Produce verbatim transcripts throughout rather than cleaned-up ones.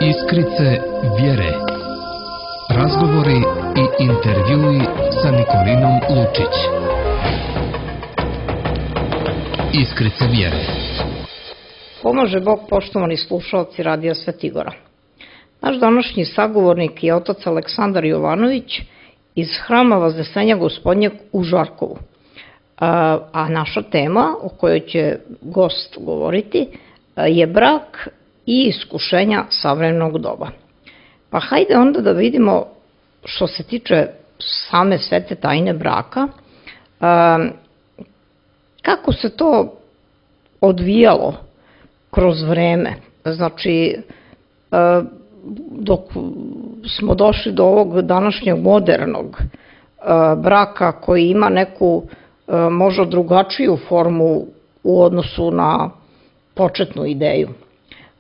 Iskrice vjere. Razgovori i intervjui sa Nikolinom Lučić. Iskrice vjere. Pomaže Bog, poštovani slušalci Radija Svetigora. Naš današnji sagovornik je otac Aleksandar Jovanović iz Hrama Vaznesenja Gospodnjeg u Žarkovu. A, a naša tema o kojoj će gost govoriti je brak i iskušenja savremenog doba. Pa hajde onda da vidimo, što se tiče same svete tajne braka, a, kako se to odvijalo kroz vreme. Znači, a, dok smo došli do ovog današnjeg modernog a, braka koji ima neku a, možda drugačiju formu u odnosu na početnu ideju.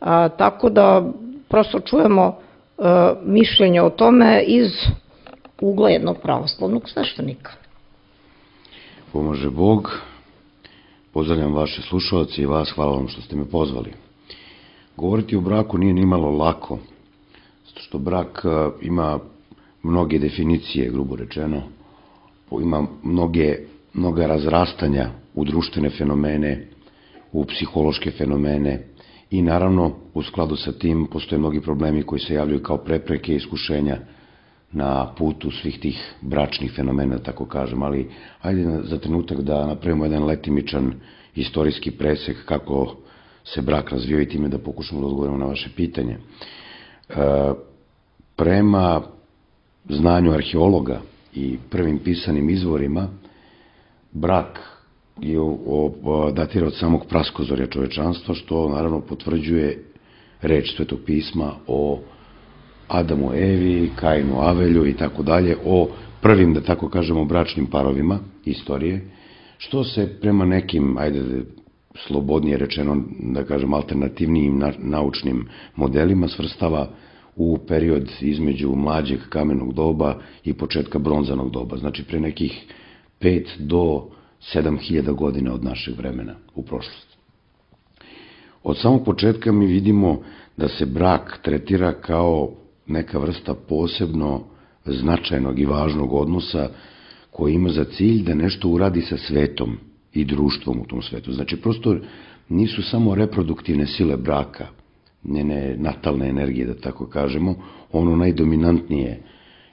A, tako da prosto čujemo a, mišljenje o tome iz ugla jednog pravoslavnog sveštenika. Pomaže Bog, pozdravljam vaše slušalce i vas, hvala vam što ste me pozvali. Govoriti o braku nije nimalo lako, zato što brak a, ima mnoge definicije, grubo rečeno, ima mnoge, mnoga razrastanja u društvene fenomene, u psihološke fenomene i naravno u skladu sa tim postoje mnogi problemi koji se javljaju kao prepreke i iskušenja na putu svih tih bračnih fenomena, tako kažem, ali ajde za trenutak da napravimo jedan letimičan istorijski presek kako se brak razvio i time da pokušamo da odgovorimo na vaše pitanje. E, prema znanju arheologa i prvim pisanim izvorima, brak je datira od samog praskozorja čovečanstva, što naravno potvrđuje reč Svetog pisma o Adamu, Evi, Kainu, Avelju i tako dalje, o prvim, da tako kažemo, bračnim parovima istorije, što se prema nekim, ajde slobodnije rečeno, da kažem, alternativnijim naučnim modelima svrstava u period između mlađeg kamenog doba i početka bronzanog doba, znači pre nekih pet do sedam hiljada godina od našeg vremena u prošlosti. Od samog početka mi vidimo da se brak tretira kao neka vrsta posebno značajnog i važnog odnosa koji ima za cilj da nešto uradi sa svetom i društvom u tom svetu. Znači, prosto nisu samo reproduktivne sile braka, njene natalne energije, da tako kažemo, ono najdominantnije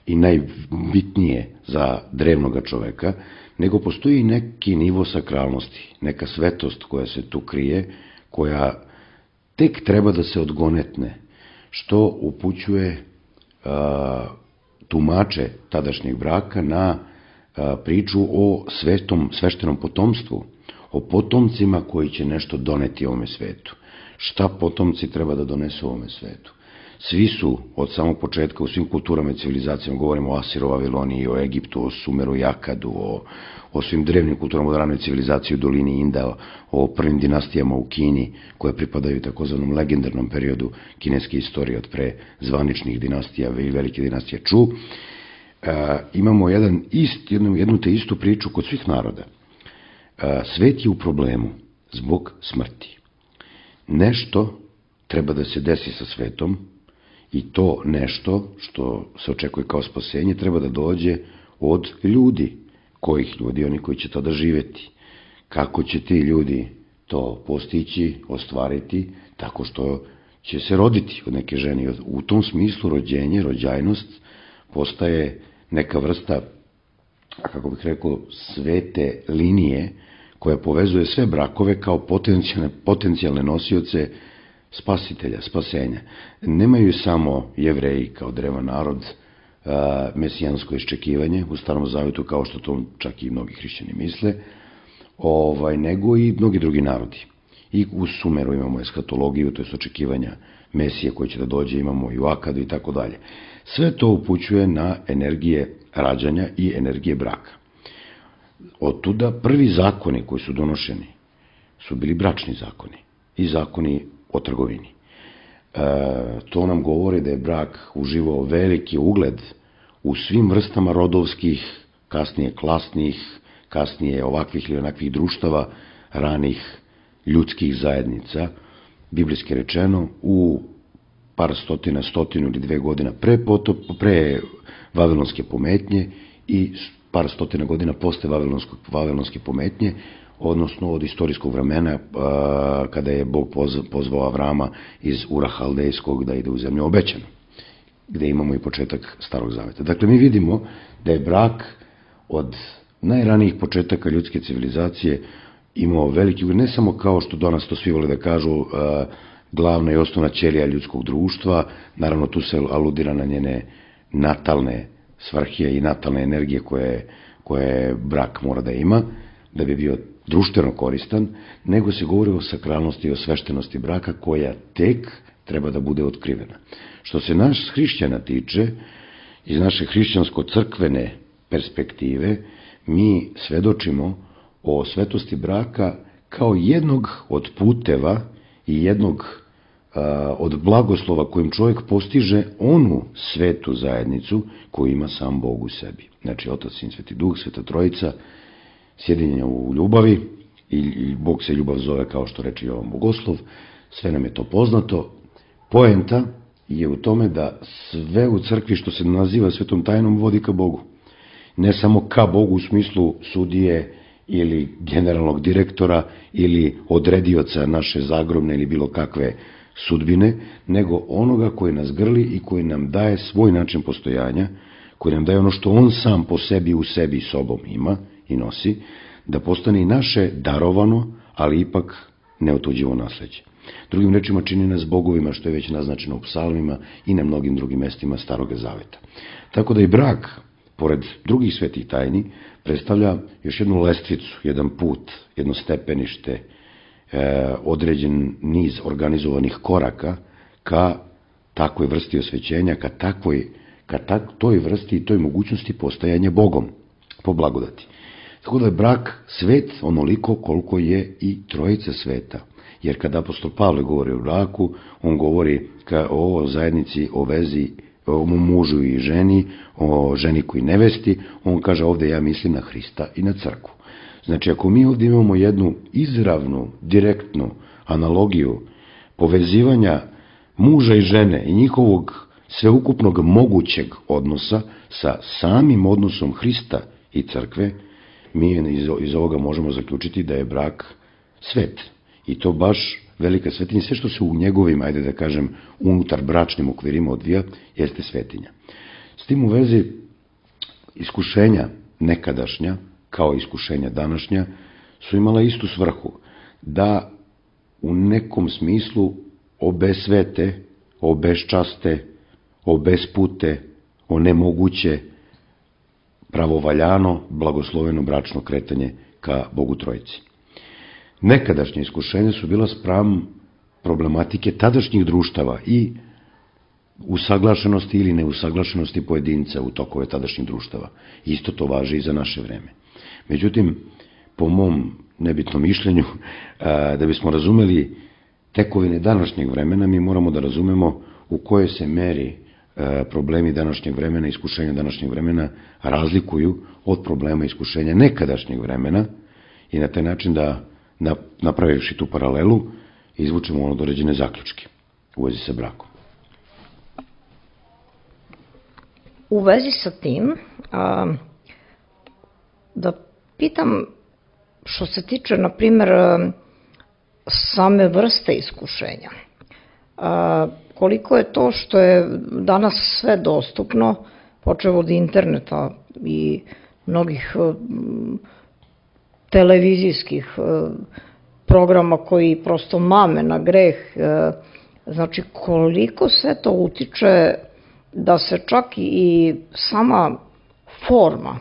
i najbitnije za drevnoga čoveka, nego postoji neki nivo sakralnosti, neka svetost koja se tu krije, koja tek treba da se odgonetne, što upućuje a, tumače tadašnjeg braka na a, priču o svetom, sveštenom potomstvu, o potomcima koji će nešto doneti ovome svetu. Šta potomci treba da donesu ovome svetu? Svi su od samog početka u svim kulturama i civilizacijama, govorimo o Asiru, Vaviloniji, o Egiptu, o Sumeru i Akadu, o, o svim drevnim kulturama, o ranoj civilizaciji u dolini Inda, o, o prvim dinastijama u Kini, koje pripadaju takozvanom legendarnom periodu kineske istorije od pre zvaničnih dinastija i velike dinastije Ču. E, imamo jedan ist, jednu, jednu te istu priču kod svih naroda. E, svet je u problemu zbog smrti. Nešto treba da se desi sa svetom, i to nešto što se očekuje kao spasenje treba da dođe od ljudi. Kojih ljudi? Oni koji će tada živeti. Kako će ti ljudi to postići, ostvariti? Tako što će se roditi od neke žene. U tom smislu rođenje, rođajnost postaje neka vrsta, kako bih rekao, svete linije koja povezuje sve brakove kao potencijalne, potencijalne nosioce spasitelja, spasenja. Nemaju samo Jevreji kao drevan narod a, mesijansko iščekivanje u Starom Zavetu, kao što to čak i mnogi hrišćani misle, ovaj, nego i mnogi drugi narodi. I u Sumeru imamo eskatologiju, to je očekivanja Mesije koji će da dođe, imamo i u Akadu i tako dalje. Sve to upućuje na energije rađanja i energije braka. Od tuda prvi zakoni koji su donošeni su bili bračni zakoni i zakoni o trgovini. E, to nam govori da je brak uživao veliki ugled u svim vrstama rodovskih, kasnije klasnih, kasnije ovakvih ili onakvih društava, ranih ljudskih zajednica, biblijski rečeno, u par stotina, stotinu ili dve godina pre, potop, pre vavilonske pometnje i par stotina godina posle vavilonske pometnje, odnosno od istorijskog vremena kada je Bog pozvao Avrama iz Ura Haldejskog da ide u zemlju obećanu, gde imamo i početak Starog zaveta. Dakle, mi vidimo da je brak od najranijih početaka ljudske civilizacije imao veliki, ne samo kao što danas to svi vole da kažu, glavna i osnovna ćelija ljudskog društva, naravno tu se aludira na njene natalne svrhe i natalne energije koje, koje brak mora da ima, da bi bio društveno koristan, nego se govori o sakralnosti i o sveštenosti braka koja tek treba da bude otkrivena. Što se naš hrišćana tiče, iz naše hrišćansko-crkvene perspektive, mi svedočimo o svetosti braka kao jednog od puteva i jednog a, od blagoslova kojim čovjek postiže onu svetu zajednicu koju ima sam Bog u sebi. Znači, Otac, Sin, Sveti Duh, Sveta Trojica, sjedinjenja u ljubavi, i, i Bog se ljubav zove, kao što reče Jovan Bogoslov, sve nam je to poznato. Poenta je u tome da sve u crkvi što se naziva svetom tajnom vodi ka Bogu. Ne samo ka Bogu u smislu sudije ili generalnog direktora ili odredioca naše zagrobne ili bilo kakve sudbine, nego onoga koji nas grli i koji nam daje svoj način postojanja, koji nam daje ono što on sam po sebi u sebi sobom ima i nosi, da postane i naše darovano, ali ipak neotuđivo nasleđe. Drugim rečima, čini nas bogovima, što je već naznačeno u psalmima i na mnogim drugim mestima Starog zaveta. Tako da i brak, pored drugih svetih tajni, predstavlja još jednu lestvicu, jedan put, jedno stepenište, e, određen niz organizovanih koraka ka takvoj vrsti osvećenja, ka takvoj, ka tak, toj vrsti i toj mogućnosti postajanja Bogom, po blagodati. Tako da je brak svet onoliko koliko je i trojica sveta. Jer kada apostol Pavle govori o braku, on govori o zajednici, o vezi, o mužu i ženi, o ženi koji nevesti, on kaže ovde ja mislim na Hrista i na crkvu. Znači, ako mi ovde imamo jednu izravnu, direktnu analogiju povezivanja muža i žene i njihovog sveukupnog mogućeg odnosa sa samim odnosom Hrista i crkve, mi iz ovoga možemo zaključiti da je brak svet. I to baš velika svetinja. Sve što se u njegovim, ajde da kažem, unutar bračnim okvirima odvija, jeste svetinja. S tim u vezi, iskušenja nekadašnja, kao iskušenja današnja, su imala istu svrhu, da u nekom smislu obesvete, obeščaste, obespute, onemoguće pravovaljano, blagosloveno bračno kretanje ka Bogu Trojici. Nekadašnje iskušenja su bila spram problematike tadašnjih društava i usaglašenosti ili neusaglašenosti pojedinca u tokove tadašnjih društava. Isto to važi i za naše vreme. Međutim, po mom nebitnom mišljenju, da bismo razumeli tekovine današnjeg vremena, mi moramo da razumemo u kojoj se meri problemi današnjeg vremena, iskušenja današnjeg vremena razlikuju od problema iskušenja nekadašnjeg vremena i na taj način da napravivši tu paralelu, izvučemo ono određene zaključke u vezi sa brakom. U vezi sa tim, a, da pitam što se tiče, na primjer, same vrste iskušenja. A, koliko je to što je danas sve dostupno, počev od interneta i mnogih televizijskih programa koji prosto mame na greh, znači koliko sve to utiče da se čak i sama forma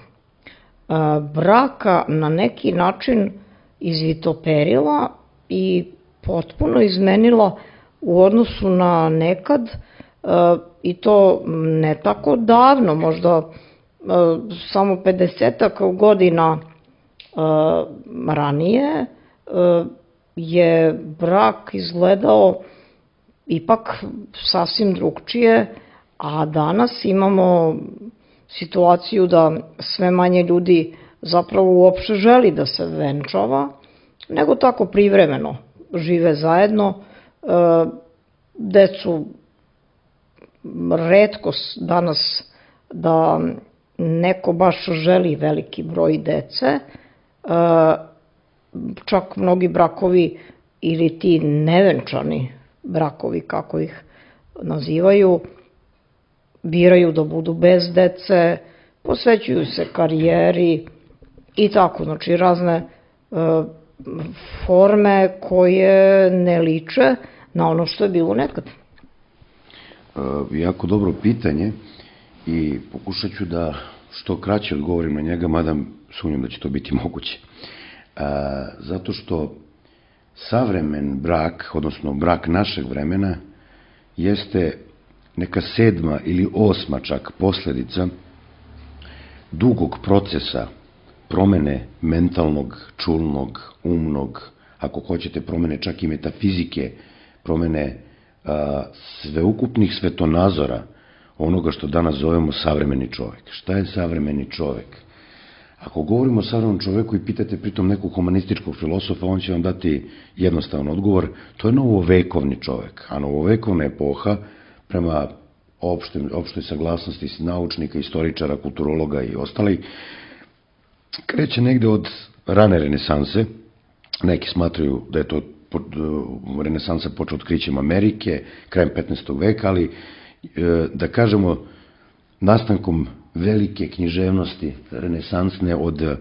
braka na neki način izvitoperila i potpuno izmenila u odnosu na nekad, i to ne tako davno, možda samo pedesetak godina ranije je brak izgledao ipak sasvim drugčije, a danas imamo situaciju da sve manje ljudi zapravo uopšte želi da se venčava, nego tako privremeno žive zajedno, decu retko danas da neko baš želi veliki broj dece, čak mnogi brakovi ili ti nevenčani brakovi, kako ih nazivaju, biraju da budu bez dece, posvećuju se karijeri i tako, znači razne forme koje ne liče na ono što je bilo nekad. Jako dobro pitanje i pokušat ću da što kraće odgovorim na njega, mada sumnjam da će to biti moguće. Zato što savremen brak, odnosno brak našeg vremena, jeste neka sedma ili osma čak posledica dugog procesa promene mentalnog, čulnog, umnog, ako hoćete promene čak i metafizike, promene a, sveukupnih svetonazora onoga što danas zovemo savremeni čovek. Šta je savremeni čovek? Ako govorimo o savremenom čoveku i pitate pritom nekog humanističkog filosofa, on će vam dati jednostavan odgovor, to je novovekovni čovek, a novovekovna epoha prema opštoj, opštoj saglasnosti naučnika, istoričara, kulturologa i ostali, kreće negde od rane renesanse. Neki smatraju da je to renesansa počela otkrićem Amerike, krajem petnaestog veka, ali da kažemo nastankom velike književnosti renesansne od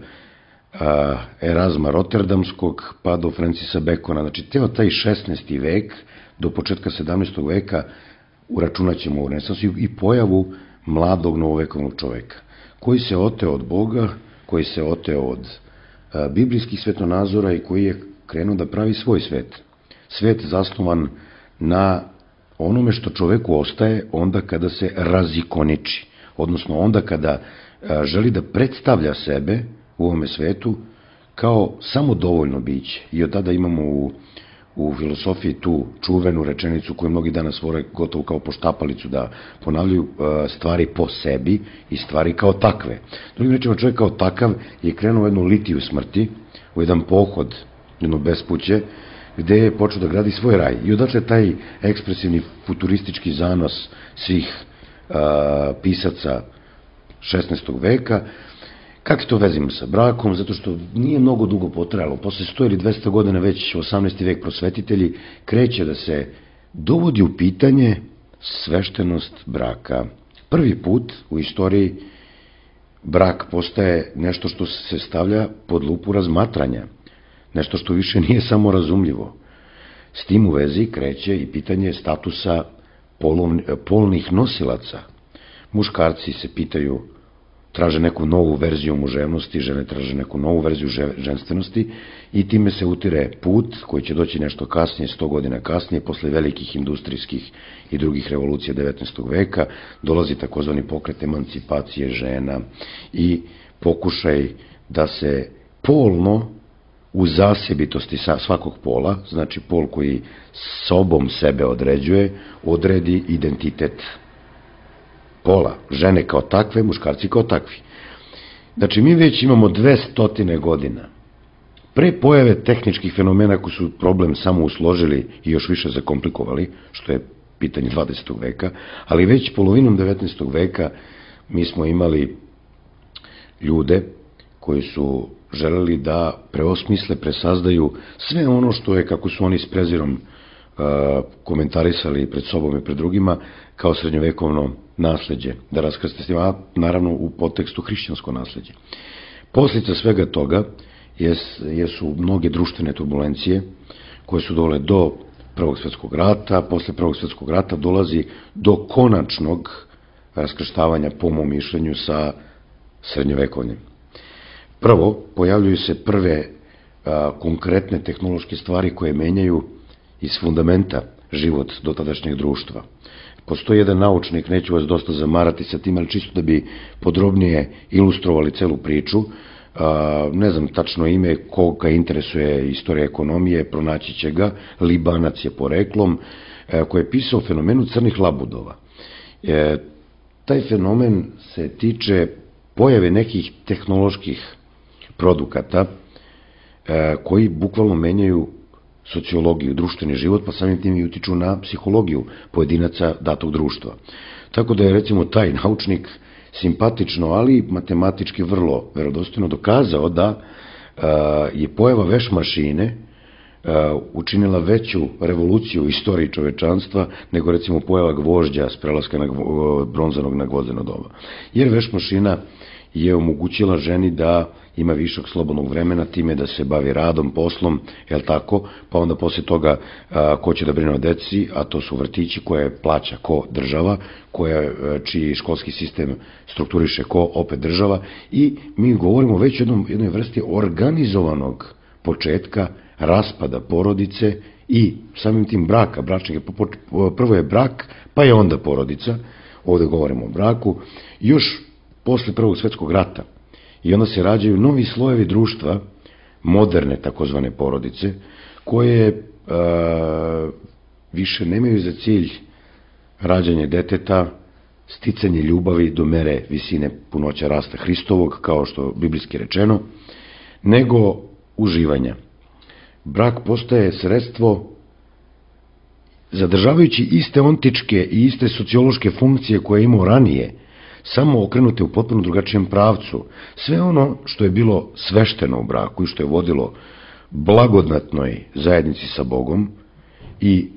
Erazma Rotterdamskog pa do Francisa Bacona, znači teo taj šesnaesti vek do početka sedamnaestog veka uračunat ćemo u renesansu i pojavu mladog novovekovnog čoveka, koji se oteo od Boga, koji se oteo od biblijskih svetonazora i koji je krenuo da pravi svoj svet. Svet zasnovan na onome što čoveku ostaje onda kada se razikoniči, odnosno onda kada želi da predstavlja sebe u ovome svetu kao samodovoljno biće. I od tada imamo u, u filosofiji tu čuvenu rečenicu koju mnogi danas vole gotovo kao poštapalicu da ponavljaju, stvari po sebi i stvari kao takve. Drugim rečima, čovjek kao takav je krenuo u jednu litiju smrti, u jedan pohod, jedno bespuće, gde je počeo da gradi svoj raj. I odatle taj ekspresivni futuristički zanos svih a, pisaca šesnaestog veka. Kako to vezimo sa brakom? Zato što nije mnogo dugo potrajalo. Posle sto ili dvesta godina već osamnaesti vek prosvetitelji kreće da se dovodi u pitanje sveštenost braka. Prvi put u istoriji brak postaje nešto što se stavlja pod lupu razmatranja. Nešto što više nije samo razumljivo. S tim u vezi kreće i pitanje statusa polnih nosilaca. Muškarci se pitaju, traže neku novu verziju muževnosti, žene traže neku novu verziju ženstvenosti i time se utire put koji će doći nešto kasnije, sto godina kasnije, posle velikih industrijskih i drugih revolucija devetnaestog veka, dolazi takozvani pokret emancipacije žena i pokušaj da se polno u zasebitosti svakog pola, znači pol koji sobom sebe određuje, odredi identitet pola, žene kao takve, muškarci kao takvi. Znači, mi već imamo dvestotine godina pre pojave tehničkih fenomena koji su problem samo usložili i još više zakomplikovali, što je pitanje dvadesetog veka, ali već polovinom devetnaestog veka mi smo imali ljude koji su želeli da preosmisle, presazdaju sve ono što je, kako su oni s prezirom komentarisali pred sobom i pred drugima, kao srednjovekovno nasleđe, da raskrste s njima, a naravno u podtekstu hrišćansko nasleđe. Posljedica svega toga jesu mnoge društvene turbulencije koje su dovele do Prvog svjetskog rata. Posle Prvog svjetskog rata dolazi do konačnog raskrštavanja, po mom mišljenju, sa srednjovekovnim. Prvo, pojavljuju se prve a, konkretne tehnološke stvari koje menjaju iz fundamenta život dotadašnjeg društva. Postoji jedan naučnik, neću vas dosta zamarati sa tim, ali čisto da bi podrobnije ilustrovali celu priču, a, ne znam tačno ime, koga interesuje istorija ekonomije, pronaći će ga, Libanac je poreklom, a, koji je pisao o fenomenu crnih labudova. E, taj fenomen se tiče pojave nekih tehnoloških produkata e, koji bukvalno menjaju sociologiju, društveni život, pa samim tim i utiču na psihologiju pojedinaca datog društva. Tako da je recimo taj naučnik simpatično, ali matematički vrlo verodostojno dokazao da je pojava veš mašine učinila veću revoluciju u istoriji čovečanstva nego recimo pojava gvožđa s prelaska na bronzanog na gvozdeno doba. Jer veš mašina je omogućila ženi da ima višak slobodnog vremena, time da se bavi radom, poslom, jel tako, pa onda posle toga a, ko će da brine o deci, a to su vrtići koje plaća ko država, koja, čiji školski sistem strukturiše ko opet država, i mi govorimo već o jednom, jednoj vrsti organizovanog početka raspada porodice i samim tim braka, bračnih, prvo je brak, pa je onda porodica, ovde govorimo o braku, još posle Prvog svetskog rata. I onda se rađaju novi slojevi društva, moderne takozvane porodice, koje a, više nemaju za cilj rađanje deteta, sticanje ljubavi do mere visine punoća rasta Hristovog, kao što biblijski rečeno, nego uživanja. Brak postaje sredstvo zadržavajući iste ontičke i iste sociološke funkcije koje je imao ranije, samo okrenute u potpuno drugačijem pravcu. Sve ono što je bilo svešteno u braku i što je vodilo blagodatnoj zajednici sa Bogom i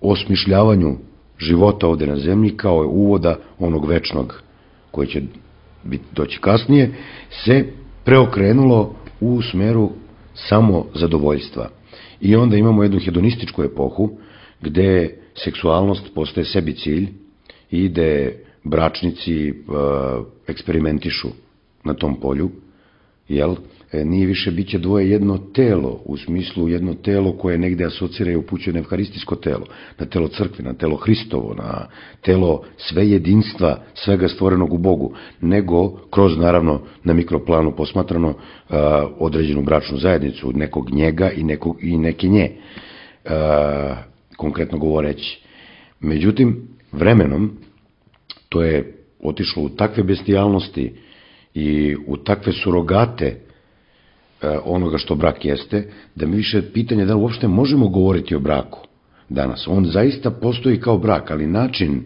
osmišljavanju života ovde na zemlji kao je uvoda onog večnog koji će doći kasnije, se preokrenulo u smeru samo zadovoljstva. I onda imamo jednu hedonističku epohu gde seksualnost postaje sebi cilj i gde bračnici eksperimentišu na tom polju, jel? Nije više biće dvoje jedno telo, u smislu jedno telo koje negde asocira i upućuje na evharistijsko telo, na telo crkve, na telo Hristovo, na telo sve jedinstva, svega stvorenog u Bogu, nego kroz, naravno, na mikroplanu posmatrano određenu bračnu zajednicu, nekog njega i, nekog, i neke nje, konkretno govoreći. Međutim, vremenom, to je otišlo u takve bestijalnosti i u takve surogate onoga što brak jeste, da mi više pitanje da uopšte možemo govoriti o braku danas. On zaista postoji kao brak, ali način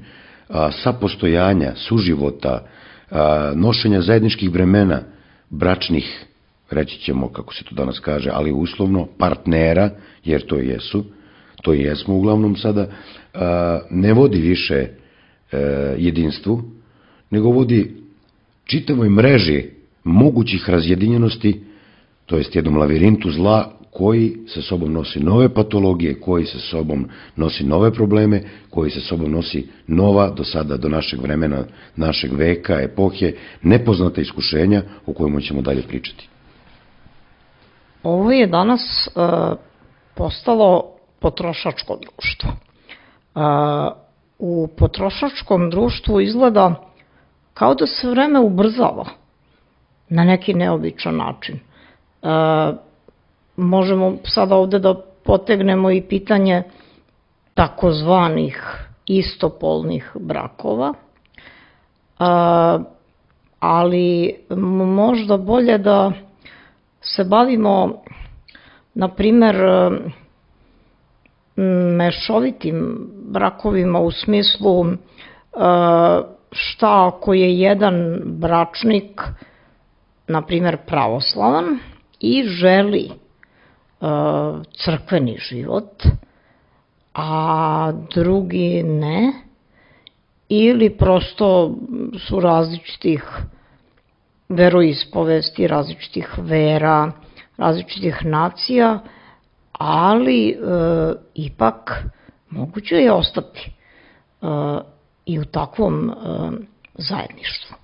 a, sapostojanja, suživota, a, nošenja zajedničkih bremena, bračnih, reći ćemo kako se to danas kaže, ali uslovno partnera, jer to jesu, to i jesmo uglavnom sada, a, ne vodi više jedinstvu, nego vodi čitavoj mreži mogućih razjedinjenosti, to jest jednom lavirintu zla koji sa sobom nosi nove patologije, koji sa sobom nosi nove probleme, koji sa sobom nosi nova, do sada, do našeg vremena, našeg veka, epohe, nepoznata iskušenja o kojima ćemo dalje pričati. Ovo je danas uh, postalo potrošačko društvo. Uh, U potrošačkom društvu izgleda kao da se vreme ubrzava na neki neobičan način. E, možemo sada ovde da potegnemo i pitanje takozvanih istopolnih brakova, e, ali možda bolje da se bavimo, na primer, mešovitim brakovima u smislu šta ako je jedan bračnik, na primer pravoslavan, i želi crkveni život, a drugi ne, ili prosto su različitih veroispovesti, različitih vera, različitih nacija, ali e, ipak moguće je ostati e, i u takvom e, zajedništvu.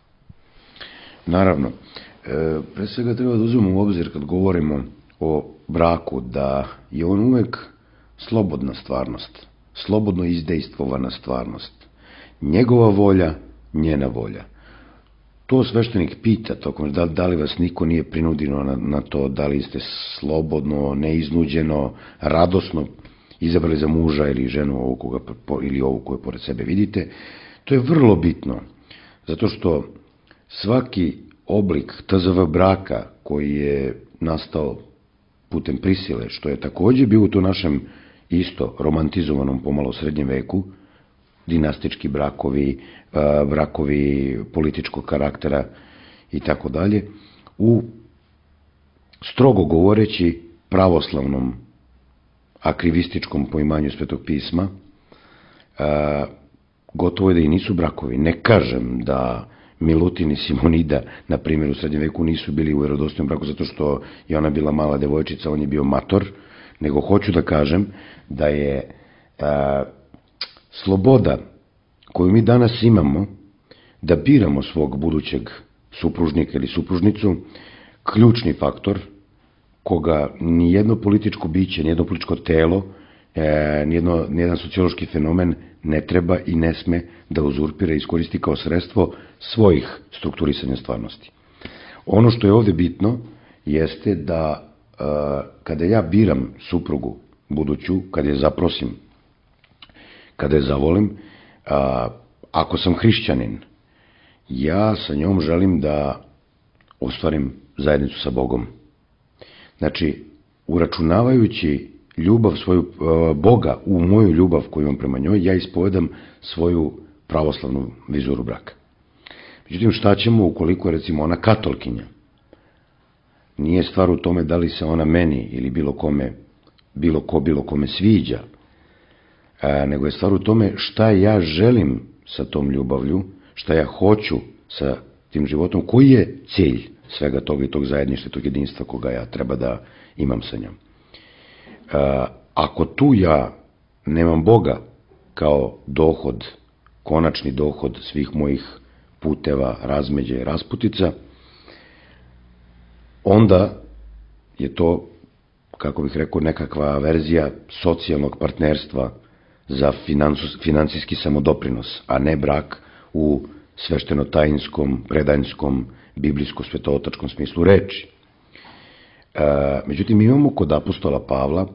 Naravno, e, pre svega treba da uzmemo u obzir kad govorimo o braku da je on uvek slobodna stvarnost, slobodno izdejstvovana stvarnost, njegova volja, njena volja. To sveštenik pita tokom, da, da li vas niko nije prinudio na, na to, da li ste slobodno, neiznuđeno, radosno izabrali za muža ili ženu ovu koga, ili ovu koju pored sebe vidite. To je vrlo bitno, zato što svaki oblik T Z V braka koji je nastao putem prisile, što je takođe bio u to našem isto romantizovanom pomalo srednjem veku, dinastički brakovi, brakovi političkog karaktera i tako dalje, u strogo govoreći pravoslavnom akrivističkom poimanju Svetog pisma, gotovo je da i nisu brakovi. Ne kažem da Milutin i Simonida, na primjer, u srednjem veku nisu bili u vjerodostojnom braku zato što je ona bila mala devojčica, on je bio mator, nego hoću da kažem da je a, sloboda koju mi danas imamo da biramo svog budućeg supružnika ili supružnicu ključni faktor koga nijedno političko biće, nijedno političko telo, e, nijedno, nijedan sociološki fenomen ne treba i ne sme da uzurpira i iskoristi kao sredstvo svojih strukturisanja stvarnosti. Ono što je ovde bitno jeste da e, kada ja biram suprugu buduću, kada je zaprosim, kada je zavolim, a, ako sam hrišćanin, ja sa njom želim da ostvarim zajednicu sa Bogom. Znači, uračunavajući ljubav svoju Boga u moju ljubav koju imam prema njoj, ja ispovedam svoju pravoslavnu vizuru braka. Međutim, šta ćemo ukoliko je, recimo, ona katolkinja? Nije stvar u tome da li se ona meni ili bilo kome, bilo ko bilo kome sviđa, a, nego je stvar u tome šta ja želim sa tom ljubavlju, šta ja hoću sa tim životom, koji je cilj svega toga i tog zajedništva, tog jedinstva koga ja treba da imam sa njom. A, ako tu ja nemam Boga kao dohod, konačni dohod svih mojih puteva, razmeđa i rasputica, onda je to, kako bih rekao, nekakva verzija socijalnog partnerstva za finansijski samodoprinos, a ne brak u svešteno-tajinskom, predanjskom, biblijsko-svetootačkom smislu reči. E, međutim, imamo kod apostola Pavla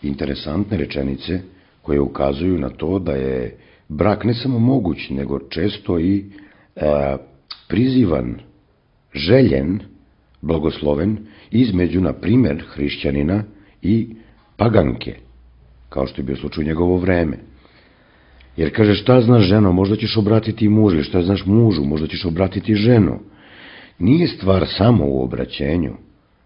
interesantne rečenice koje ukazuju na to da je brak ne samo moguć, nego često i e, prizivan, željen, blagosloven između, na primer, hrišćanina i paganke, kao što je bio slučaj u njegovo vreme. Jer kaže, šta znaš ženo, možda ćeš obratiti mužu, ili šta znaš mužu, možda ćeš obratiti ženu. Nije stvar samo u obraćenju,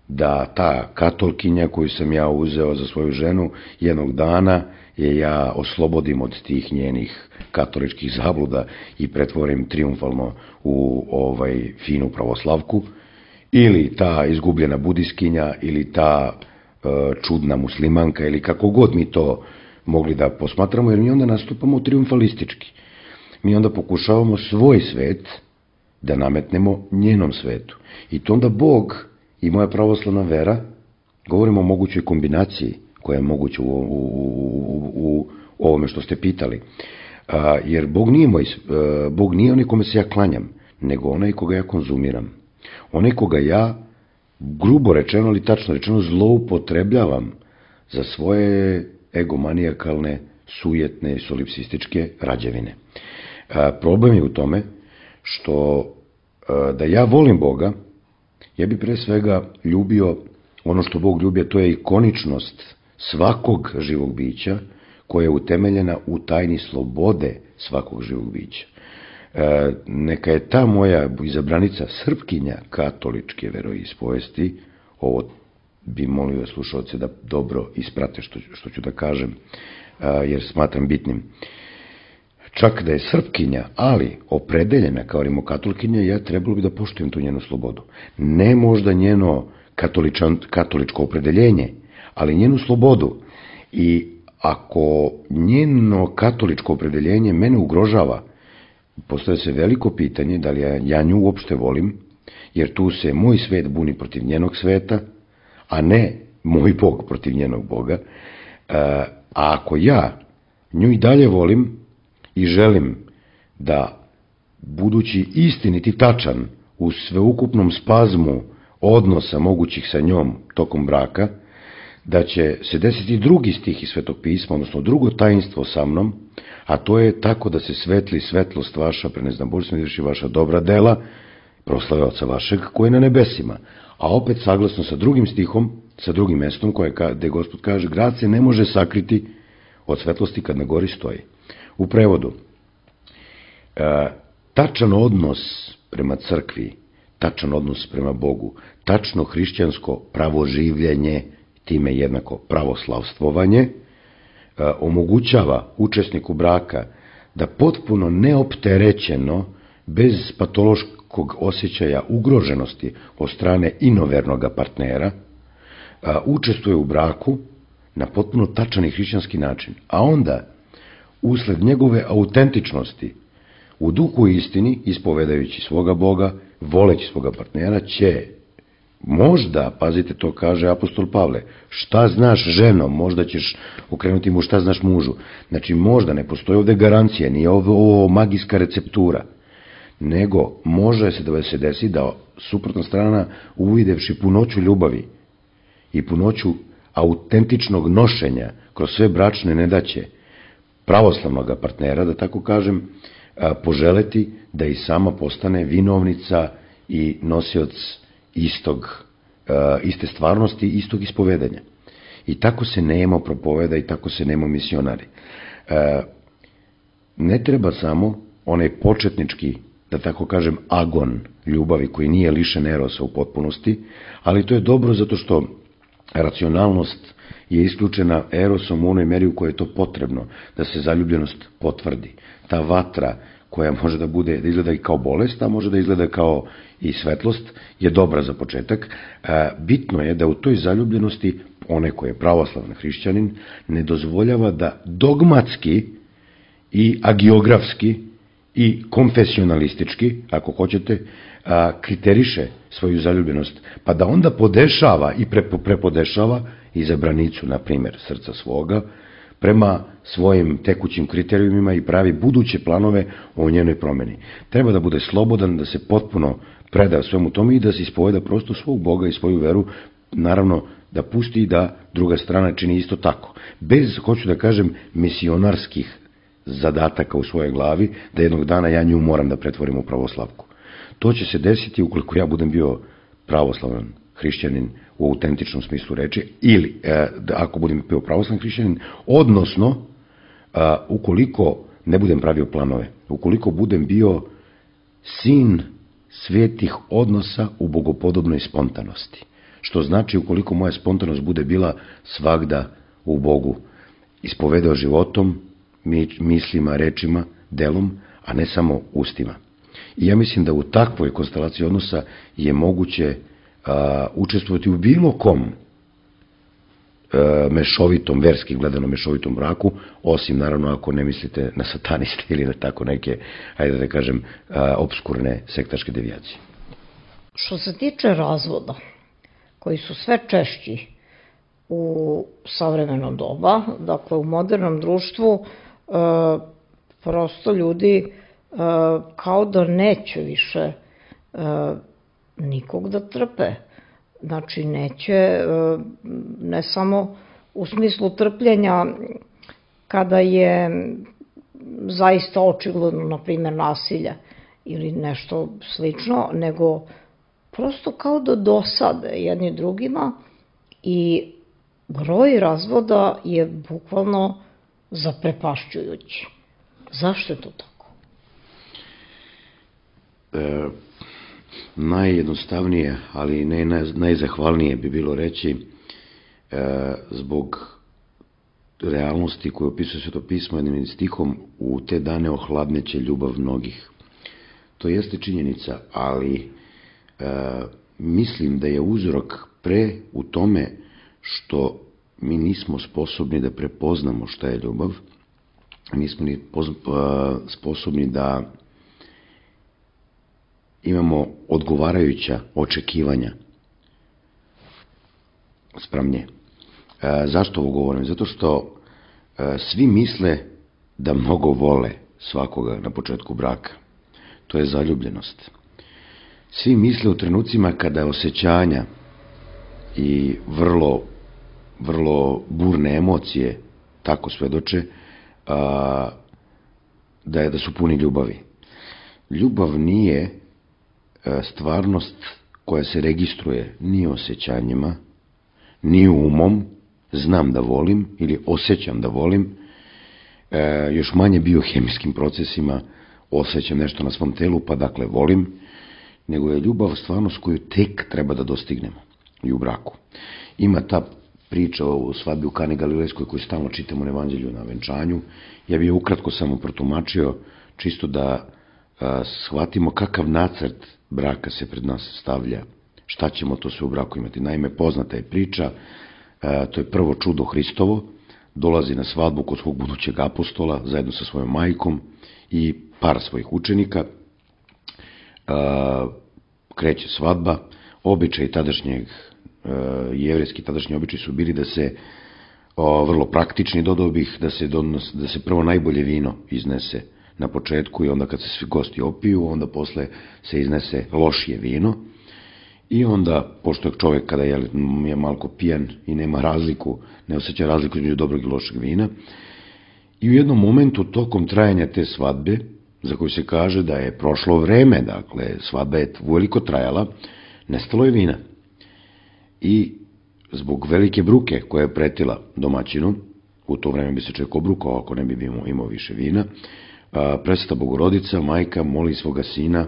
da ta katolkinja koju sam ja uzeo za svoju ženu, jednog dana je ja oslobodim od tih njenih katoličkih zabluda i pretvorim triumfalno u ovaj finu pravoslavku, ili ta izgubljena budiskinja, ili ta e, čudna muslimanka, ili kako god mi to mogli da posmatramo, jer mi onda nastupamo triumfalistički. Mi onda pokušavamo svoj svet da nametnemo njenom svetu. I to onda Bog i moja pravoslavna vera, govorimo o mogućoj kombinaciji koja je moguća u, u, u, u ovome što ste pitali. A, jer Bog nije, moj, Bog nije onaj kome se ja klanjam, nego onaj koga ja konzumiram. Onaj koga ja, grubo rečeno, ali tačno rečeno, zloupotrebljavam za svoje egomanijakalne, sujetne, solipsističke rađevine. A, problem je u tome što a, da ja volim Boga, ja bi pre svega ljubio ono što Bog ljubi, a to je ikoničnost svakog živog bića koja je utemeljena u tajni slobode svakog živog bića. E, neka je ta moja izabranica Srpkinja katoličke veroispovesti, ovo bi molio slušalce da dobro isprate što, što ću da kažem, e, jer smatram bitnim. Čak da je Srpkinja, ali opredeljena kao rimokatolkinja, ja trebalo bi da poštujem tu njenu slobodu. Ne možda njeno katoličko opredeljenje, ali njenu slobodu. I ako njeno katoličko opredeljenje mene ugrožava, postoje se veliko pitanje da li ja, ja nju uopšte volim, jer tu se moj svet buni protiv njenog sveta, a ne moj Bog protiv njenog Boga. A ako ja nju i dalje volim i želim da, budući istiniti tačan u sveukupnom spazmu odnosa mogućih sa njom tokom braka, da će se desiti drugi stih iz Svetog pisma, odnosno drugo tajinstvo sa mnom, a to je tako da se svetli svetlost vaša, preneznam Božstvo, izvrši vaša dobra dela, proslave Oca vašeg koji je na nebesima. A opet saglasno sa drugim stihom, sa drugim mestom koje, gde Gospod kaže, grad se ne može sakriti od svetlosti kad na gori stoji. U prevodu, e, tačan odnos prema crkvi, tačan odnos prema Bogu, tačno hrišćansko pravoživljenje, time jednako pravoslavstvovanje, e, omogućava učesniku braka da potpuno neopterećeno, bez patološkog osjećaja ugroženosti od strane inovernog partnera, a, učestvuje u braku na potpuno tačan i hrišćanski način. A onda, usled njegove autentičnosti, u duhu i istini, ispovedajući svoga Boga, voleći svoga partnera, će možda, pazite, to kaže apostol Pavle, šta znaš ženo, možda ćeš okrenuti mu šta znaš mužu. Znači, možda ne postoji ovde garancija, nije ovo, ovo magijska receptura, nego može se da se desi da suprotna strana, uvidevši punoću ljubavi i punoću autentičnog nošenja kroz sve bračne nedaće pravoslavnog partnera, da tako kažem, poželeti da i sama postane vinovnica i nosioc istog, iste stvarnosti, istog ispovedanja. I tako se nemo propoveda i tako se nemo misionari. Ne treba samo onaj početnički, da tako kažem, agon ljubavi koji nije lišen erosa u potpunosti, ali to je dobro zato što racionalnost je isključena erosom u onoj meri u kojoj je to potrebno, da se zaljubljenost potvrdi. Ta vatra koja može da bude, da izgleda i kao bolest, a može da izgleda kao i svetlost, je dobra za početak. Bitno je da u toj zaljubljenosti onaj koji je pravoslavni hrišćanin ne dozvoljava da dogmatski i agiografski i konfesionalistički, ako hoćete, kriteriše svoju zaljubljenost, pa da onda podešava i prepodešava izabranicu, na primjer, srca svoga, prema svojim tekućim kriterijumima i pravi buduće planove o njenoj promeni. Treba da bude slobodan, da se potpuno preda svemu tome i da se ispoveda prosto svog Boga i svoju veru, naravno da pusti da druga strana čini isto tako. Bez, hoću da kažem, misionarskih zadataka u svojoj glavi, da jednog dana ja nju moram da pretvorim u pravoslavku. To će se desiti ukoliko ja budem bio pravoslavan hrišćanin u autentičnom smislu reči, ili e, da ako budem bio pravoslavni hrišćanin, odnosno a, ukoliko ne budem pravio planove, ukoliko budem bio sin svetih odnosa u bogopodobnoj spontanosti. Što znači ukoliko moja spontanost bude bila svagda u Bogu, ispovedao životom, mislima, rečima, delom, a ne samo ustima. I ja mislim da u takvoj konstelaciji odnosa je moguće a, učestvovati u bilo kom a, mešovitom, verski gledano mešovitom braku, osim naravno ako ne mislite na sataniste ili na tako neke, ajde da kažem, a, obskurne sektaške devijacije. Što se tiče razvoda, koji su sve češći u savremeno doba, dakle u modernom društvu, e, prosto ljudi e, kao da neće više e, nikog da trpe. Znači neće, e, ne samo u smislu trpljenja kada je zaista očigledno, na primjer, nasilje ili nešto slično, nego prosto kao da dosade jedni drugima i broj razvoda je bukvalno zaprepašćujući. Zašto je to tako? E, najjednostavnije, ali ne najzahvalnije bi bilo reći e, zbog realnosti koju opisuje Sveto pismo jednim stihom, u te dane ohladneće ljubav mnogih. To jeste činjenica, ali e, mislim da je uzrok pre u tome što mi nismo sposobni da prepoznamo šta je ljubav, nismo ni sposobni da imamo odgovarajuća očekivanja spram nje. Zašto ovo govorim? Zato što svi misle da mnogo vole svakoga na početku braka. To je zaljubljenost. Svi misle u trenucima kada osjećanja i vrlo, vrlo burne emocije tako svedoče, a, da, je, da su puni ljubavi. Ljubav nije stvarnost koja se registruje ni osjećanjima, ni umom, znam da volim ili osjećam da volim, još manje biohemijskim procesima osjećam nešto na svom telu, pa dakle volim, nego je ljubav stvarnost koju tek treba da dostignemo i u braku. Ima ta priča o svadbi u Kani Galilejskoj koju stalno čitamo na evanđelju na venčanju. Ja bih je ukratko samo protumačio, čisto da a, shvatimo kakav nacrt braka se pred nas stavlja, šta ćemo to sve u braku imati. Naime, poznata je priča, a, to je prvo čudo Hristovo, dolazi na svadbu kod svog budućeg apostola zajedno sa svojom majkom i par svojih učenika, a, kreće svadba, običaj tadašnjeg, jevrejski tadašnji običaj su bili da se, o, vrlo praktični, dodao bih, da se, donos, da se prvo najbolje vino iznese na početku i onda kad se svi gosti opiju, onda posle se iznese lošije vino i onda, pošto je čovjek kada je, je malko pijan i nema razliku, ne osjeća razliku između dobrog i lošeg vina, i u jednom momentu tokom trajanja te svadbe, za koju se kaže da je prošlo vreme, dakle svadba je veliko trajala, nestalo je vina. I zbog velike bruke koja je pretila domaćinu, u to vreme bi se čovjek obrukao ako ne bi imao, imao više vina, Presveta Bogorodica, majka, moli svoga sina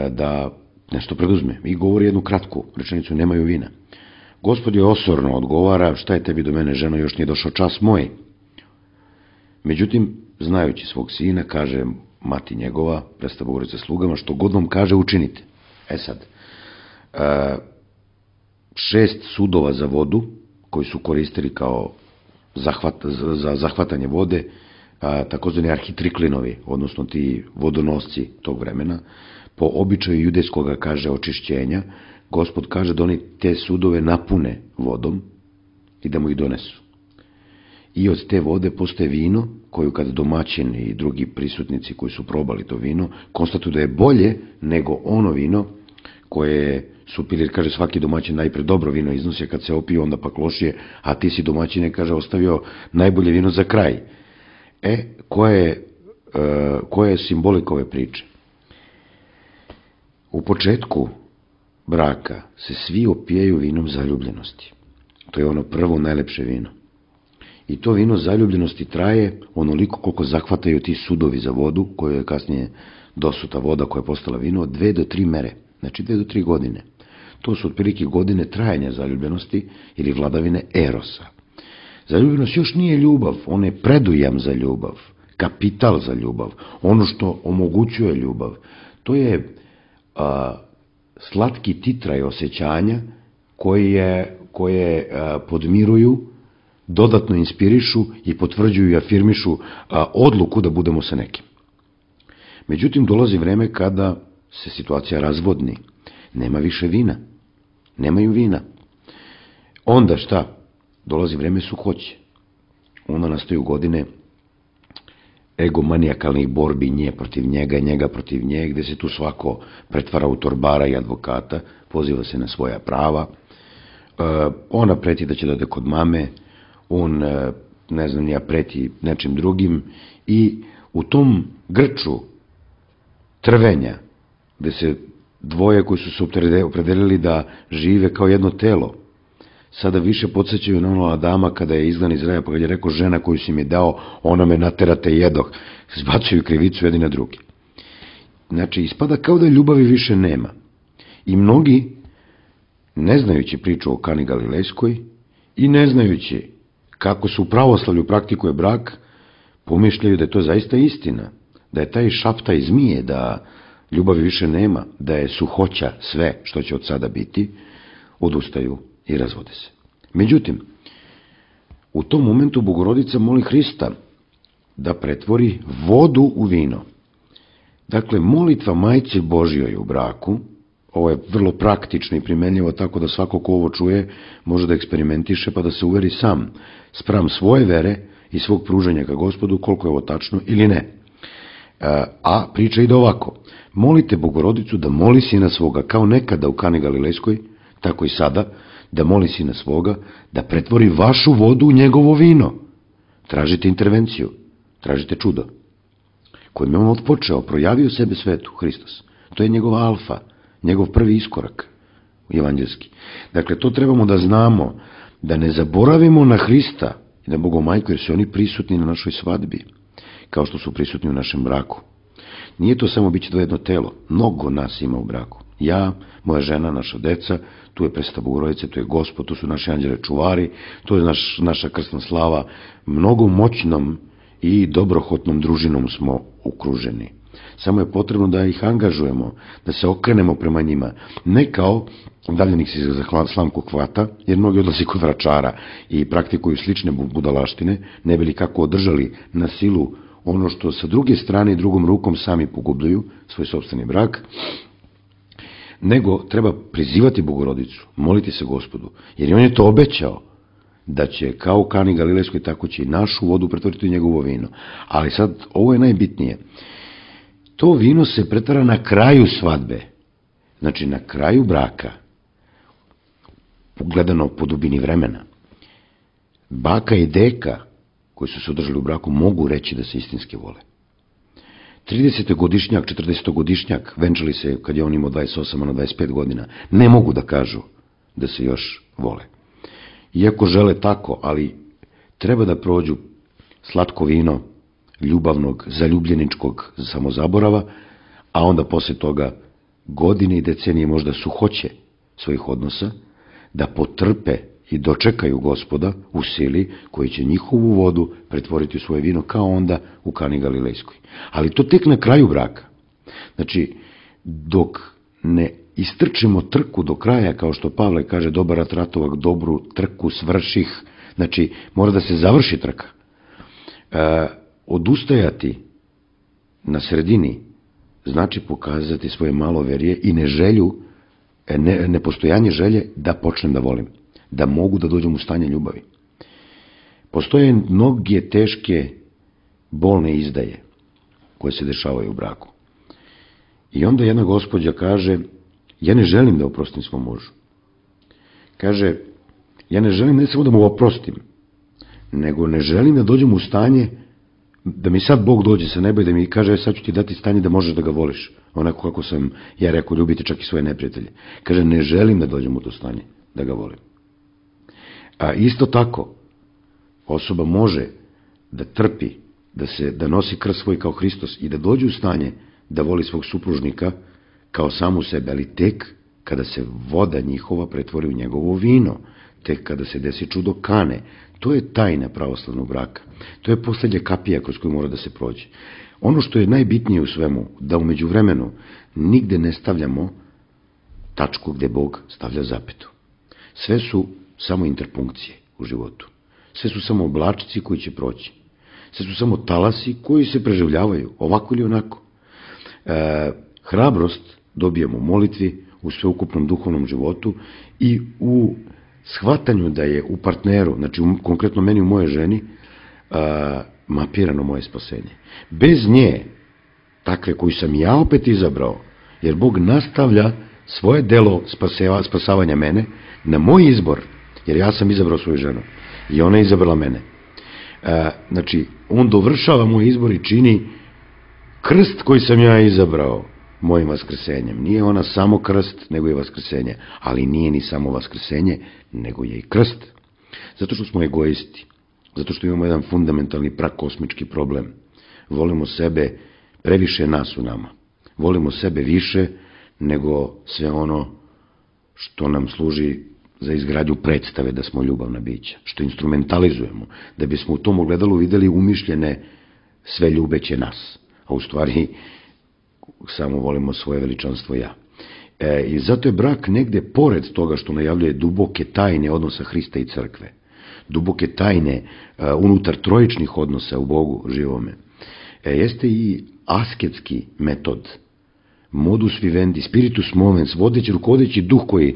da nešto preduzme i govori jednu kratku rečenicu, nemaju vina. Gospod je osorno odgovara, šta je tebi do mene, ženo, još nije došao čas moj. Međutim, znajući svog sina, kaže mati njegova, Presveta Bogorodica slugama, što god vam kaže, učinite. E sad, šest sudova za vodu, koji su koristili kao zahvat, za zahvatanje vode, takozvani arhitriklinovi, odnosno ti vodonosci tog vremena, po običaju judejskoga, kaže, očišćenja, Gospod kaže da oni te sudove napune vodom i da mu ih donesu. I od te vode postaje vino, koju kada domaćini i drugi prisutnici koji su probali to vino, konstatuju da je bolje nego ono vino koje su pili, kaže, svaki domaćin najpre dobro vino iznosi, kad se opio onda pak lošije, a ti si domaćine, kaže, ostavio najbolje vino za kraj. E, koja je, e, koja je simbolika ove priče? U početku braka se svi opijaju vinom zaljubljenosti. To je ono prvo najlepše vino. I to vino zaljubljenosti traje onoliko koliko zahvataju ti sudovi za vodu, koja je kasnije dosuta voda koja je postala vino, od dve do tri mere. Znači dve do tri godine. To su otprilike godine trajanja zaljubljenosti ili vladavine erosa. Zaljubljenost još nije ljubav, on je predujam za ljubav, kapital za ljubav, ono što omogućuje ljubav. To je a, slatki titraj osjećanja koje, koje a, podmiruju, dodatno inspirišu i potvrđuju i afirmišu a, odluku da budemo sa nekim. Međutim, dolazi vreme kada se situacija razvodni. Nema više vina. Nemaju vina. Onda šta? Dolazi vreme suhoće. Onda nastaju godine egomanijakalnih borbi, nje protiv njega, njega protiv nje, gde se tu svako pretvara u torbara i advokata, poziva se na svoja prava. E, ona preti da će da ode kod mame, on, ne znam, nija preti nečim drugim i u tom grču trvenja, gde se dvoje koji su se opredelili da žive kao jedno telo, sada više podsjećaju na ono Adama kada je izglan iz raja, pa kad je rekao, žena koju si mi dao, ona me naterate jedoh, zbacuju krivicu jedni na drugi. Znači, ispada kao da ljubavi više nema. I mnogi, ne znajući priču o Kani Galilejskoj i ne znajući kako se u pravoslavlju praktikuje brak, pomišljaju da je to zaista istina, da je taj šaptaj zmije, da ljubavi više nema, da je suhoća sve što će od sada biti, odustaju i razvode se. Međutim, u tom momentu Bogorodica moli Hrista da pretvori vodu u vino. Dakle, molitva Majci Božjoj u braku, ovo je vrlo praktično i primenljivo, tako da svako ko ovo čuje može da eksperimentiše pa da se uveri sam spram svoje vere i svog pružanja ka Gospodu koliko je ovo tačno ili ne. A priča ide ovako: molite Bogorodicu da moli sina svoga, kao nekada u Kani Galilejskoj, tako i sada, da moli sina svoga da pretvori vašu vodu u njegovo vino. Tražite intervenciju, tražite čudo, kojim je on odpočeo, projavio sebe svetu, Hristos. To je njegova alfa, njegov prvi iskorak evanđelski. Dakle, to trebamo da znamo, da ne zaboravimo na Hrista i na Bogomajku, jer su oni prisutni na našoj svadbi, kao što su prisutni u našem braku. Nije to samo biće to jedno telo, mnogo nas ima u braku. Ja, moja žena, naša deca, tu je predstava Bogorodice, tu je Gospod, tu su naši anđele čuvari, tu je naš, naša krsna slava. Mnogo moćnom i dobrohotnom družinom smo okruženi. Samo je potrebno da ih angažujemo, da se okrenemo prema njima. Ne kao davljenik se za slamku hvata, jer mnogi odlazi kod vračara i praktikuju slične budalaštine, ne bi li kako održali na silu ono što sa druge strane i drugom rukom sami pogubljuju, svoj sopstveni brak, nego treba prizivati Bogorodicu, moliti se Gospodu, jer on je to obećao, da će kao u Kani Galilejskoj, tako će i našu vodu pretvoriti u njegovo vino. Ali sad, ovo je najbitnije. To vino se pretvara na kraju svadbe, znači na kraju braka, gledano po dubini vremena. Baka i deka, koji su se održali u braku, mogu reći da se istinski vole. tridesetogodišnjak, četrdesetogodišnjak, venčali se kad je on imao dvadeset osam, a na dvadeset pet godina, ne mogu da kažu da se još vole. Iako žele tako, ali treba da prođu slatko vino ljubavnog, zaljubljeničkog samozaborava, a onda posle toga godine i decenije možda suhoće svojih odnosa, da potrpe i dočekaju Gospoda u sili koji će njihovu vodu pretvoriti u svoje vino, kao onda u Kani Galilejskoj. Ali to tek na kraju braka. Znači, dok ne istrčimo trku do kraja, kao što Pavle kaže, dobar rat ratovak, dobru trku svrših, znači mora da se završi trka. E, odustajati na sredini znači pokazati svoje maloverje i neželju, ne, nepostojanje želje da počnem da volim, da mogu da dođem u stanje ljubavi. Postoje mnoge teške, bolne izdaje koje se dešavaju u braku. I onda jedna gospođa kaže, ja ne želim da oprostim svom mužu. Kaže, ja ne želim ne samo da mu oprostim, nego ne želim da dođem u stanje da mi sad Bog dođe sa neba i da mi kaže, sad ću ti dati stanje da možeš da ga voliš. Onako kako sam ja rekao, ljubiti čak i svoje neprijatelje. Kaže, ne želim da dođem u to stanje da ga volim. A isto tako, osoba može da trpi, da se da nosi krst svoj kao Hristos i da dođe u stanje da voli svog supružnika kao samu sebe, ali tek kada se voda njihova pretvori u njegovo vino, tek kada se desi čudo Kane. To je tajna pravoslavnog braka. To je poslednja kapija kroz koju mora da se prođe. Ono što je najbitnije u svemu, da umeđu vremenu nigde ne stavljamo tačku gde Bog stavlja zapetu. Sve su samo interpunkcije u životu. Sve su samo oblačici koji će proći. Sve su samo talasi koji se preživljavaju, ovako ili onako. E, hrabrost dobijemo u molitvi, u sveukupnom duhovnom životu i u shvatanju da je u partneru, znači u, konkretno meni u moje ženi, a, mapirano moje spasenje. Bez nje, takve koju sam ja opet izabrao, jer Bog nastavlja svoje delo spaseva, spasavanja mene na moj izbor, jer ja sam izabrao svoju ženu i ona je izabrala mene. A, znači, on dovršava moj izbor i čini krst koji sam ja izabrao mojim vaskrsenjem. Nije ona samo krst, nego je vaskrsenje. Ali nije ni samo vaskrsenje, nego je i krst. Zato što smo egoisti. Zato što imamo jedan fundamentalni prakosmički problem. Volimo sebe, previše nas u nama. Volimo sebe više nego sve ono što nam služi za izgradnju predstave da smo ljubavna bića. Što instrumentalizujemo. Da bismo u tom ogledalu videli umišljene sve ljubeće nas. A u stvari samo volimo svoje veličanstvo ja. E, I zato je brak negde pored toga što najavljuje duboke tajne odnosa Hrista i crkve, duboke tajne uh, unutar trojičnih odnosa u Bogu živome, e, jeste i asketski metod, modus vivendi, spiritus movens, vodeći, rukovodeći duh koji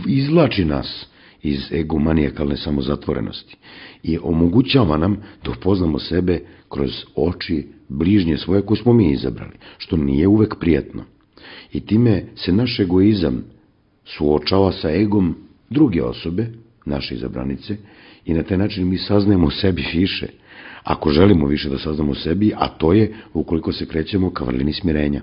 izvlači nas iz egomanijakalne samozatvorenosti i omogućava nam da upoznamo sebe kroz oči bližnje svoje koje smo mi izabrali, što nije uvek prijatno. I time se naš egoizam suočava sa egom druge osobe, naše izabranice, i na taj način mi saznajemo o sebi više, ako želimo više da saznamo o sebi, a to je ukoliko se krećemo ka vrlini smirenja.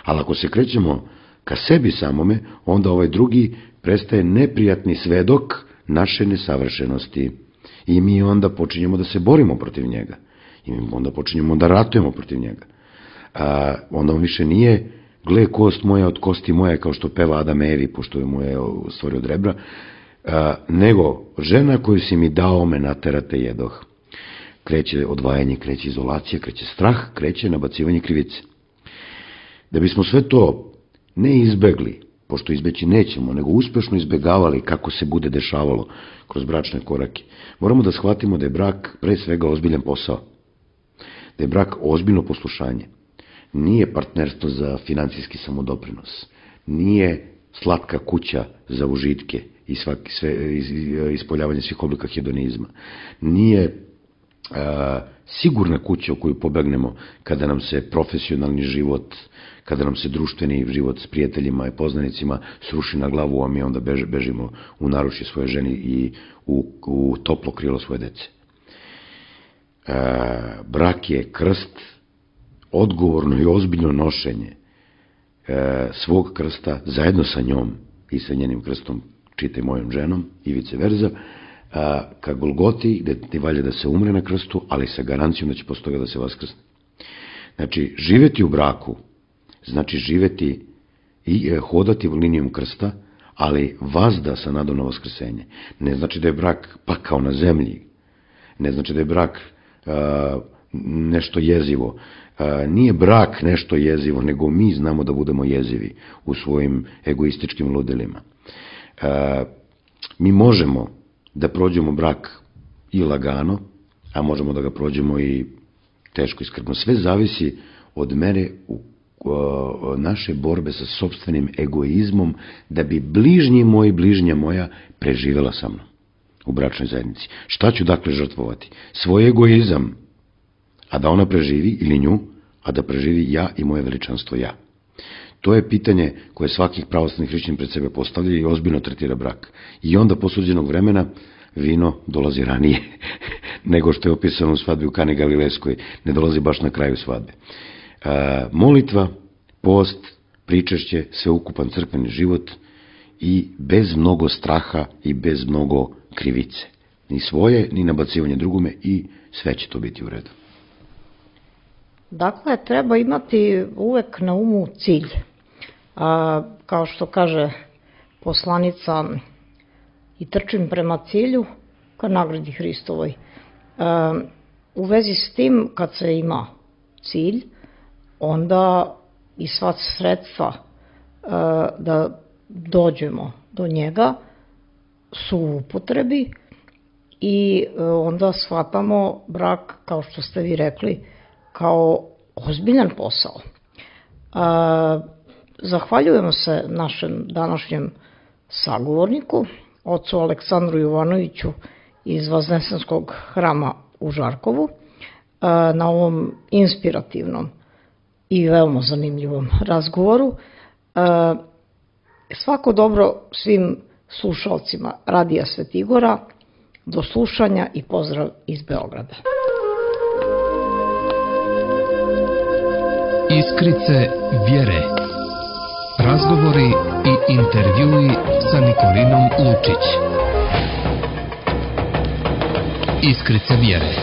Ali ako se krećemo ka sebi samome, onda ovaj drugi prestaje neprijatni svedok naše nesavršenosti. I mi onda počinjemo da se borimo protiv njega. I mi onda počinjemo da ratujemo protiv njega. A, onda on više nije gle kost moja od kosti moje, kao što peva Adam Evi, pošto je mu je stvorio od rebra, a, nego žena koju si mi dao me naterate jedoh. Kreće odvajanje, kreće izolacija, kreće strah, kreće nabacivanje krivice. Da bismo sve to ne izbegli, pošto izbeći nećemo, nego uspešno izbegavali kako se bude dešavalo kroz bračne korake, moramo da shvatimo da je brak pre svega ozbiljan posao. Da je brak ozbiljno poslušanje. Nije partnerstvo za financijski samodoprinos. Nije slatka kuća za užitke i svaki, sve, ispoljavanje svih oblika hedonizma. Nije a, sigurna kuća u koju pobegnemo kada nam se profesionalni život, kada nam se društveni život s prijateljima i poznanicima sruši na glavu, a mi onda bež, bežimo u naručje svoje ženi i u, u toplo krilo svoje dece. A, brak je krst, odgovorno i ozbiljno nošenje e, svog krsta zajedno sa njom i sa njenim krstom, čitaj mojom ženom i vice verza, a, ka Golgoti, gde ti valja da se umre na krstu, ali sa garancijom da će posle toga da se vaskrsne. Znači, živeti u braku znači živeti i e, hodati linijom krsta, ali vazda sa nadom na vaskrsenje. Ne znači da je brak pakao na zemlji, ne znači da je brak a, nešto jezivo. A, nije brak nešto jezivo, nego mi znamo da budemo jezivi u svojim egoističkim ludelima. A, mi možemo da prođemo brak i lagano, a možemo da ga prođemo i teško i skrbno. Sve zavisi od mere u a, naše borbe sa sopstvenim egoizmom, da bi bližnji moj, bližnja moja preživela sa mnom u bračnoj zajednici. Šta ću dakle žrtvovati? Svoj egoizam, a da ona preživi, ili nju, a da preživi ja i moje veličanstvo ja. To je pitanje koje svakih pravoslavnih hrišćana pred sebe postavlja i ozbiljno tretira brak. I onda posuđenog vremena vino dolazi ranije nego što je opisano u svadbi u Kani Galilejskoj, ne dolazi baš na kraju svadbe. E, molitva, post, pričešće, sveukupan crkveni život i bez mnogo straha i bez mnogo krivice. Ni svoje, ni nabacivanje drugome i sve će to biti u redu. Dakle, treba imati uvek na umu cilj. A, kao što kaže poslanica, i trčim prema cilju ka nagradi Hristovoj. A, u vezi s tim, kad se ima cilj, onda i sva sredstva a, da dođemo do njega su u upotrebi i onda shvatamo brak, kao što ste vi rekli, kao ozbiljan posao. A, zahvaljujemo se našem današnjem sagovorniku, ocu Aleksandru Jovanoviću iz Vaznesenskog hrama u Žarkovu, a, na ovom inspirativnom i veoma zanimljivom razgovoru. A, svako dobro svim slušalcima Radija Svetigora, do slušanja i pozdrav iz Beograda. Iskrice vjere. Razgovori i intervjui sa Nikolinom Lučić. Iskrice vjere.